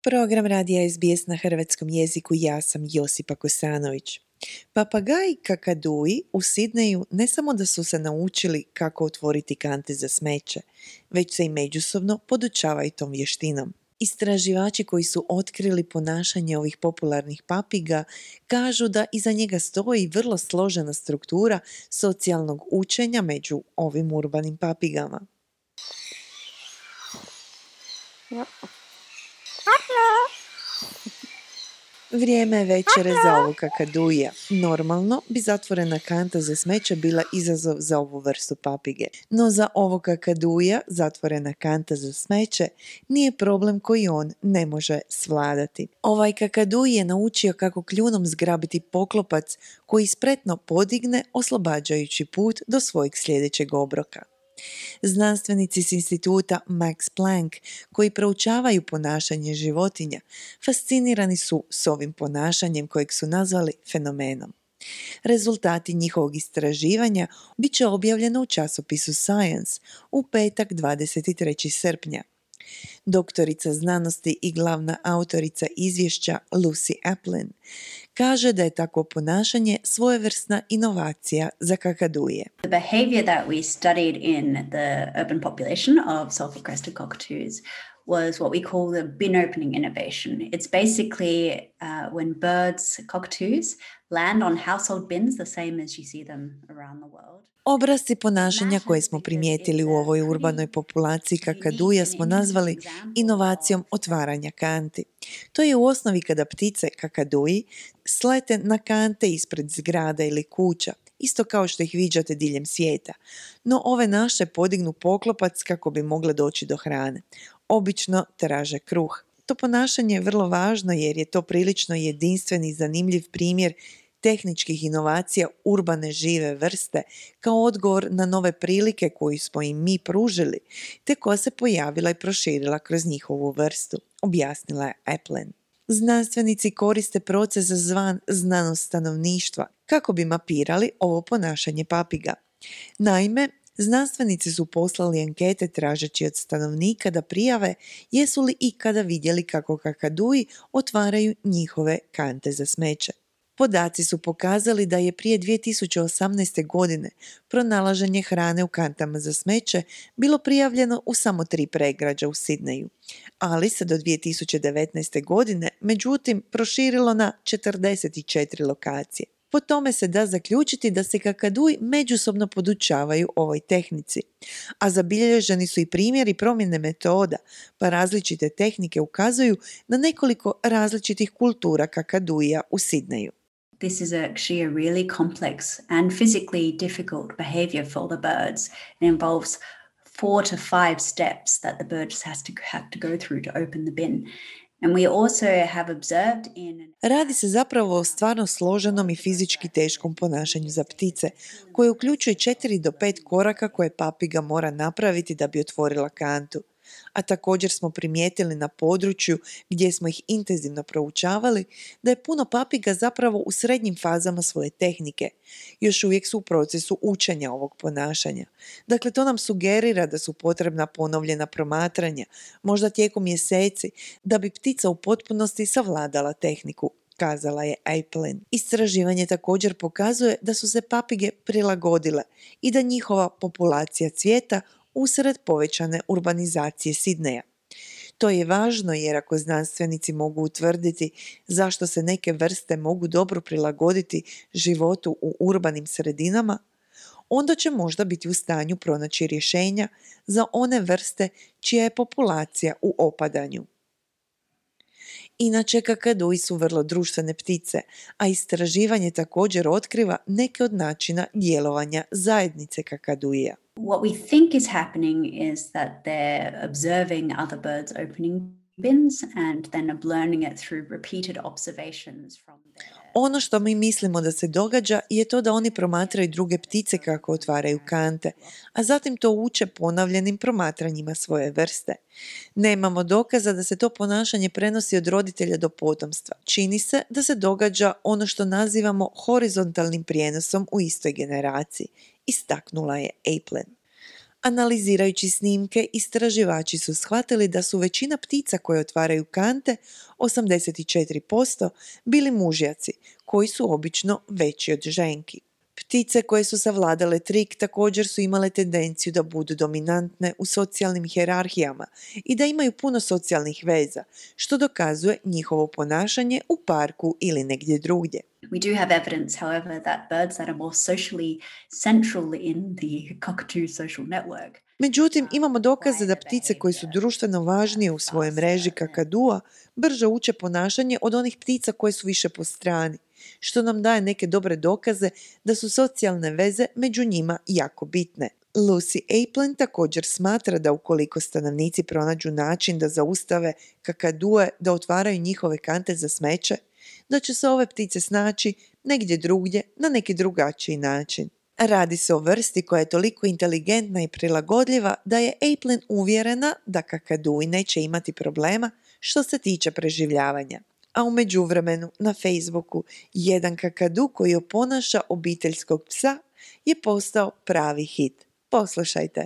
Program radija SBS na hrvatskom jeziku, ja sam Josipa Kosanović. Papagaji kakaduji u Sidneju ne samo da su se naučili kako otvoriti kante za smeće, već se i međusobno podučavaju tom vještinom. Istraživači koji su otkrili ponašanje ovih popularnih papiga kažu da iza njega stoji vrlo složena struktura socijalnog učenja među ovim urbanim papigama. Vrijeme je večere za ovog kakaduja. Normalno bi zatvorena kanta za smeće bila izazov za ovu vrstu papige. No za ovog kakaduja zatvorena kanta za smeće nije problem koji on ne može svladati. Ovaj kakaduj je naučio kako kljunom zgrabiti poklopac koji spretno podigne, oslobađajući put do svojeg sljedećeg obroka. Znanstvenici s instituta Max Planck koji proučavaju ponašanje životinja fascinirani su s ovim ponašanjem kojeg su nazvali fenomenom. Rezultati njihovog istraživanja bit će objavljeno u časopisu Science u petak 23. srpnja. Doktorica znanosti i glavna autorica izvješća Lucy Aplin kaže da je takvo ponašanje svojevrsna inovacija za kakaduje. The behavior that we studied in the urban population of sulfur-crested cockatoos was what we call the bin opening innovation. It's basically when birds, cockatoos, land on household bins the same as you see them around the world. Obrasci ponašanja koje smo primijetili u ovoj urbanoj populaciji kakaduja smo nazvali inovacijom otvaranja kanti. To je u osnovi kada ptice kakaduji slete na kante ispred zgrada ili kuća, isto kao što ih viđate diljem svijeta. No ove naše podignu poklopac kako bi mogle doći do hrane. Obično traže kruh. To ponašanje je vrlo važno jer je to prilično jedinstven i zanimljiv primjer tehničkih inovacija urbane žive vrste kao odgovor na nove prilike koju smo im mi pružili, te koja se pojavila i proširila kroz njihovu vrstu, objasnila je Aplin. Znanstvenici koriste proces zvan znanost stanovništva kako bi mapirali ovo ponašanje papiga. Naime, znanstvenici su poslali ankete tražeći od stanovnika da prijave jesu li ikada vidjeli kako kakaduji otvaraju njihove kante za smeće. Podaci su pokazali da je prije 2018. godine pronalaženje hrane u kantama za smeće bilo prijavljeno u samo 3 pregrađa u Sidneju, ali se do 2019. godine međutim proširilo na 44 lokacije. Po tome se da zaključiti da se kakaduji međusobno podučavaju ovoj tehnici, a zabilježeni su i primjeri promjene metoda, pa različite tehnike ukazuju na nekoliko različitih kultura kakaduja u Sidneju. This is actually a really complex and physically difficult behavior for the birds. It involves 4 to 5 steps that the bird just have to go through to open the bin. And we also have observed Radi se zapravo o stvarno složenom i fizički teškom ponašanju za ptice, koje uključuje 4 do 5 koraka koje papiga mora napraviti da bi otvorila kantu. A također smo primijetili na području gdje smo ih intenzivno proučavali da je puno papiga zapravo u srednjim fazama svoje tehnike. Još uvijek su u procesu učenja ovog ponašanja. Dakle, to nam sugerira da su potrebna ponovljena promatranja, možda tijekom mjeseci, da bi ptica u potpunosti savladala tehniku, kazala je Aplin. Istraživanje također pokazuje da su se papige prilagodile i da njihova populacija cvijeta usred povećane urbanizacije Sidneja. To je važno jer ako znanstvenici mogu utvrditi zašto se neke vrste mogu dobro prilagoditi životu u urbanim sredinama, onda će možda biti u stanju pronaći rješenja za one vrste čija je populacija u opadanju. Inače, kakaduji su vrlo društvene ptice, a istraživanje također otkriva neke od načina djelovanja zajednice kakaduja. What we think is happening is that they're observing other birds opening bins and then learning it through repeated observations from their... Ono što mi mislimo da se događa je to da oni promatraju druge ptice kako otvaraju kante, a zatim to uče ponavljanim promatranjima svoje vrste. Nemamo dokaza da se to ponašanje prenosi od roditelja do potomstva. Čini se da se događa ono što nazivamo horizontalnim prijenosom u istoj generaciji, istaknula je Aplin. Analizirajući snimke, istraživači su shvatili da su većina ptica koje otvaraju kante, 84%, bili mužjaci, koji su obično veći od ženki. Ptice koje su savladale trik također su imale tendenciju da budu dominantne u socijalnim hijerarhijama i da imaju puno socijalnih veza, što dokazuje njihovo ponašanje u parku ili negdje drugdje. We do have evidence, however, that birds that are more socially central in the cockatoo social network. Međutim, imamo dokaze da ptice koje su društveno važnije u svojoj mreži kakadua brže uče ponašanje od onih ptica koje su više po strani, što nam daje neke dobre dokaze da su socijalne veze među njima jako bitne. Lucy Aplin također smatra da ukoliko stanovnici pronađu način da zaustave kakadue da otvaraju njihove kante za smeće, da će se ove ptice snaći negdje drugdje na neki drugačiji način. Radi se o vrsti koja je toliko inteligentna i prilagodljiva da je Aplin uvjerena da kakadui neće imati problema što se tiče preživljavanja. A u međuvremenu na Facebooku jedan kakadu koji oponaša obiteljskog psa je postao pravi hit. Poslušajte.